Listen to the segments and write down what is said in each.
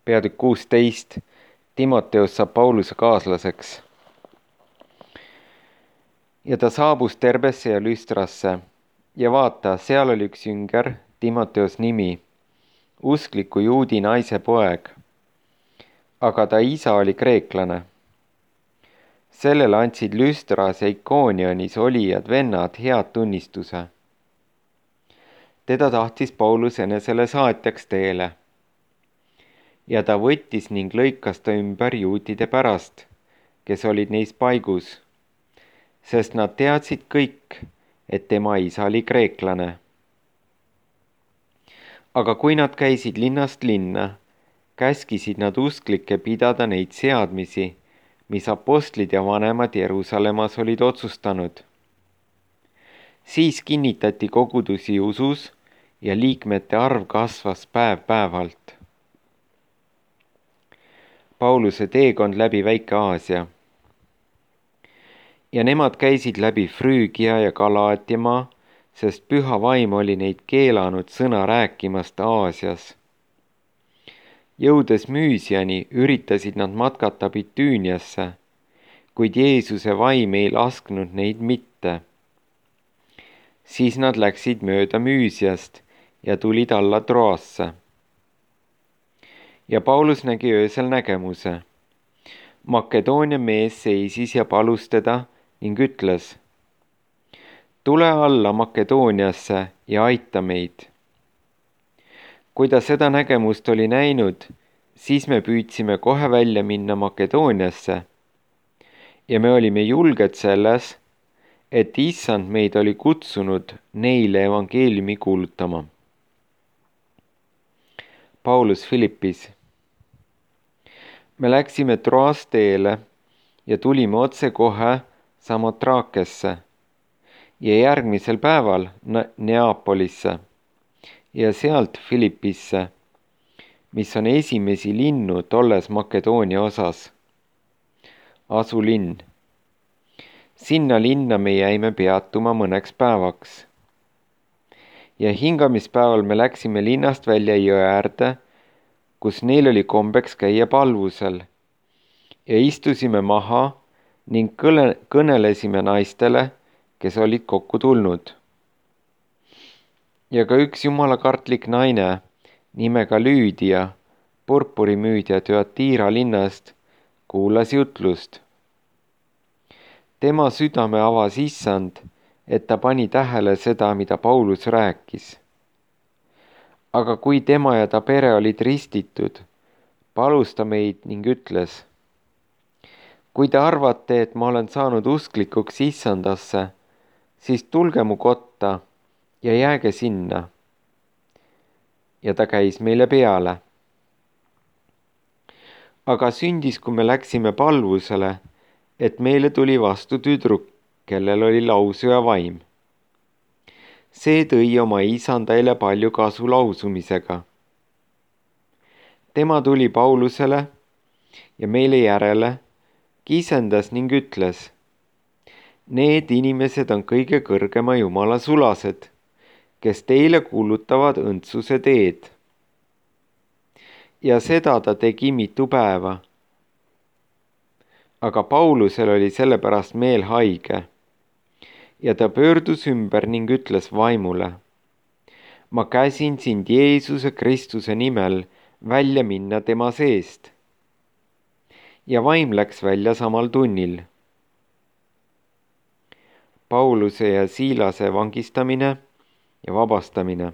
Peatükk 16. Timoteus saab Pauluse kaaslaseks. Ja ta saabus Terbesse ja Lüstrasse ja vaata, seal oli üks jünger, Timoteus nimi, uskliku juudi naise poeg, aga ta isa oli kreeklane. Sellele andsid Lüstras ja Ikoonionis olijad vennad head tunnistuse. Teda tahtis Paulus enesele saatjaks teele. Ja ta võttis ning lõikas ta ümber juutide pärast, kes olid neis paigus, sest nad teadsid kõik, et tema isa oli kreeklane. Aga kui nad käisid linnast linna, käskisid nad usklikke pidada neid seadmisi, mis apostlid ja vanemad Jeruusalemmas olid otsustanud. Siis kinnitati kogudusi usus ja liikmete arv kasvas päev-päevalt. Pauluse teekond läbi Väike-Aasia. Ja nemad käisid läbi Früügia ja Galaatiamaa, sest püha vaim oli neid keelanud sõna rääkimast Aasias. Jõudes Müüsiani üritasid nad matkata Bitüüniasse, kuid Jeesuse vaim ei lasknud neid mitte. Siis nad läksid mööda Müüsiast ja tulid alla Troasse. Ja Paulus nägi öösel nägemuse. Makedoonia mees seisis ja palus teda ning ütles: tule alla Makedooniasse ja aita meid. Kui ta seda nägemust oli näinud, siis me püüdsime kohe välja minna Makedooniasse ja me olime julged selles, et issand meid oli kutsunud neile evangeeliumi kuulutama. Paulus Philippis. Me läksime Troas teele ja tulime otse kohe Samotrakesse ja järgmisel päeval Neapolisse ja sealt Philippisse, mis on esimesi linnu tolles Makedoonia osas, asulinn. Sinna linna me jäime peatuma mõneks päevaks. Ja hingamispäeval me läksime linnast välja jõe äärde, kus neil oli kombeks käia palvusel, ja istusime maha ning kõnelesime naistele, kes olid kokku tulnud. Ja ka üks jumalakartlik naine, nimega Lüüdia, purpurimüüdja Thyatira linnast, kuulas jutlust. Tema südame avas issand, et ta pani tähele seda, mida Paulus rääkis. Aga kui tema ja ta pere olid ristitud, palus ta meid ning ütles: kui te arvate, et ma olen saanud usklikuks issandasse, siis tulge mu kotta ja jääge sinna. Ja ta käis meile peale. Aga sündis, kui me läksime palvusele, et meile tuli vastu tüdruk, kellel oli lausuja vaim. See tõi oma isandaile palju kasu lausumisega. Tema tuli Paulusele ja meile järele, kisendas ning ütles: need inimesed on kõige kõrgema Jumala sulased, kes teile kuulutavad õndsuse teed. Ja seda ta tegi mitu päeva. Aga Paulusel oli sellepärast meel haige. Ja ta pöördus ümber ning ütles vaimule: ma käsin sind Jeesuse Kristuse nimel välja minna tema seest. Ja vaim läks välja samal tunnil. Pauluse ja Siilase vangistamine ja vabastamine.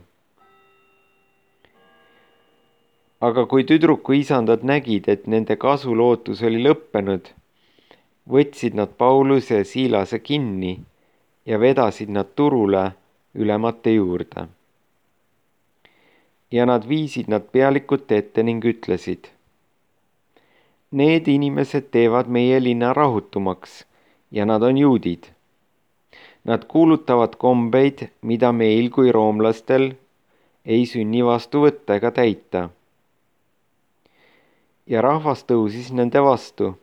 Aga kui tüdruku isandad nägid, et nende kasulootus oli lõppenud, võtsid nad Pauluse ja Siilase kinni ja vedasid nad turule ülemate juurde. Ja nad viisid nad pealikute ette ning ütlesid: need inimesed teevad meie linna rahutumaks ja nad on juudid. Nad kuulutavad kombeid, mida meil kui roomlastel ei sünni vastu võtta ega täita. Ja rahvas tõusis nende vastu.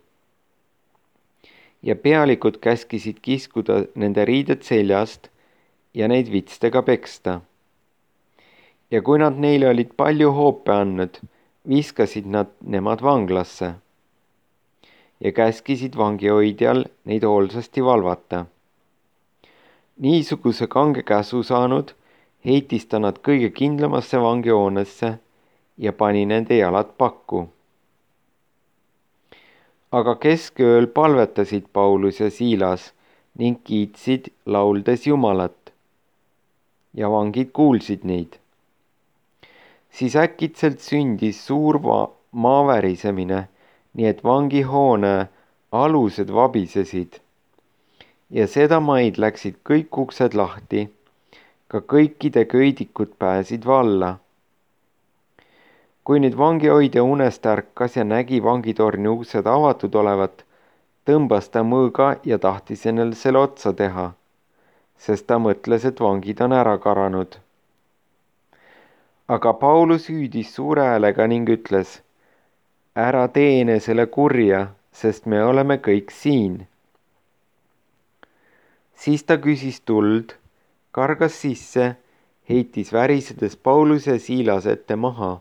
Ja pealikud käskisid kiskuda nende riided seljast ja neid vitstega peksta. Ja kui nad neile olid palju hoope andnud, viskasid nad nemad vanglasse ja käskisid vangihoidjal neid hoolsasti valvata. Niisuguse kange käsu saanud heitis ta nad kõige kindlamasse vangihoonesse ja pani nende jalad pakku. Aga keskööl palvetasid Paulus ja Siilas ning kiitsid lauldes Jumalat ja vangid kuulsid neid. Siis äkitselt sündis suur maavärisemine, nii et vangihoone alused vabisesid ja sedamaid läksid kõik uksed lahti, ka kõikide köidikud pääsid valla. Kui nüüd vangihoidja unest ärkas ja nägi vangitorni uksed avatud olevat, tõmbas ta mõõga ja tahtis endale selle otsa teha, sest ta mõtles, et vangid on ära karanud. Aga Paulus hüüdis suure häälega ning ütles, ära tee enesele kurja, sest me oleme kõik siin. Siis ta küsis tuld, kargas sisse, heitis värisedes Pauluse ja Siilase ette maha.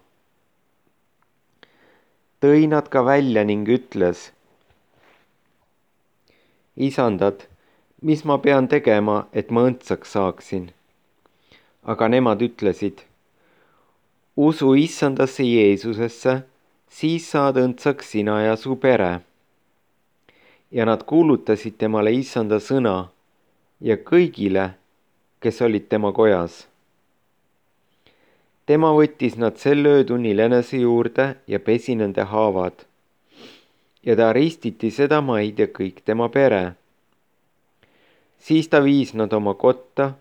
Tõi nad ka välja ning ütles, isandad, mis ma pean tegema, et ma õndsaks saaksin? Aga nemad ütlesid, usu issandasse Jeesusesse, siis saad õndsaks sina ja su pere. Ja nad kuulutasid temale issanda sõna ja kõigile, kes olid tema kojas. Tema võttis nad sel öötunnil enese juurde ja pesi nende haavad. Ja ta ristiti seda maid ja kõik tema pere. Siis ta viis nad oma kotta,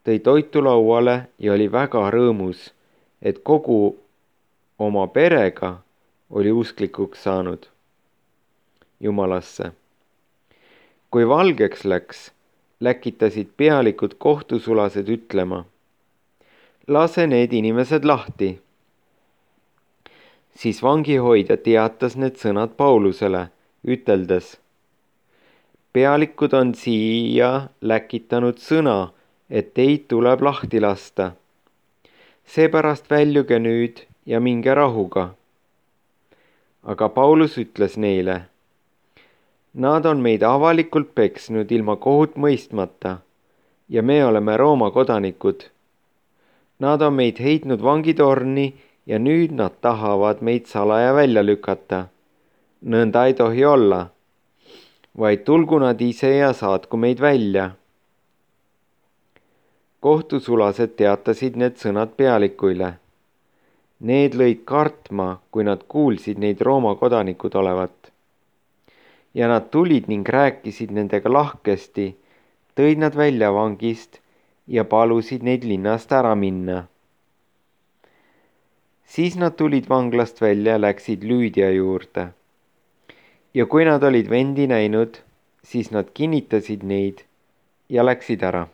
tõi toitu lauale ja oli väga rõõmus, et kogu oma perega oli usklikuks saanud Jumalasse. Kui valgeks läks, läkitasid pealikud kohtusulased ütlema, lase need inimesed lahti. Siis vangihoidja teatas need sõnad Paulusele, üteldes, pealikud on siia läkitanud sõna, et teid tuleb lahti lasta. Seepärast väljuge nüüd ja minge rahuga. Aga Paulus ütles neile, nad on meid avalikult peksnud ilma kohut mõistmata ja me oleme Rooma kodanikud. Nad on meid heitnud vangitorni ja nüüd nad tahavad meid salaja välja lükata. Nõnda ei tohi olla, vaid tulgu nad ise ja saatku meid välja. Kohtusulased teatasid need sõnad pealikuile. Need lõid kartma, kui nad kuulsid neid Rooma kodanikud olevat. Ja nad tulid ning rääkisid nendega lahkesti, tõid nad välja vangist ja palusid neid linnast ära minna. Siis nad tulid vanglast välja ja läksid Lüüdia juurde. Ja kui nad olid vendi näinud, siis nad kinnitasid neid ja läksid ära.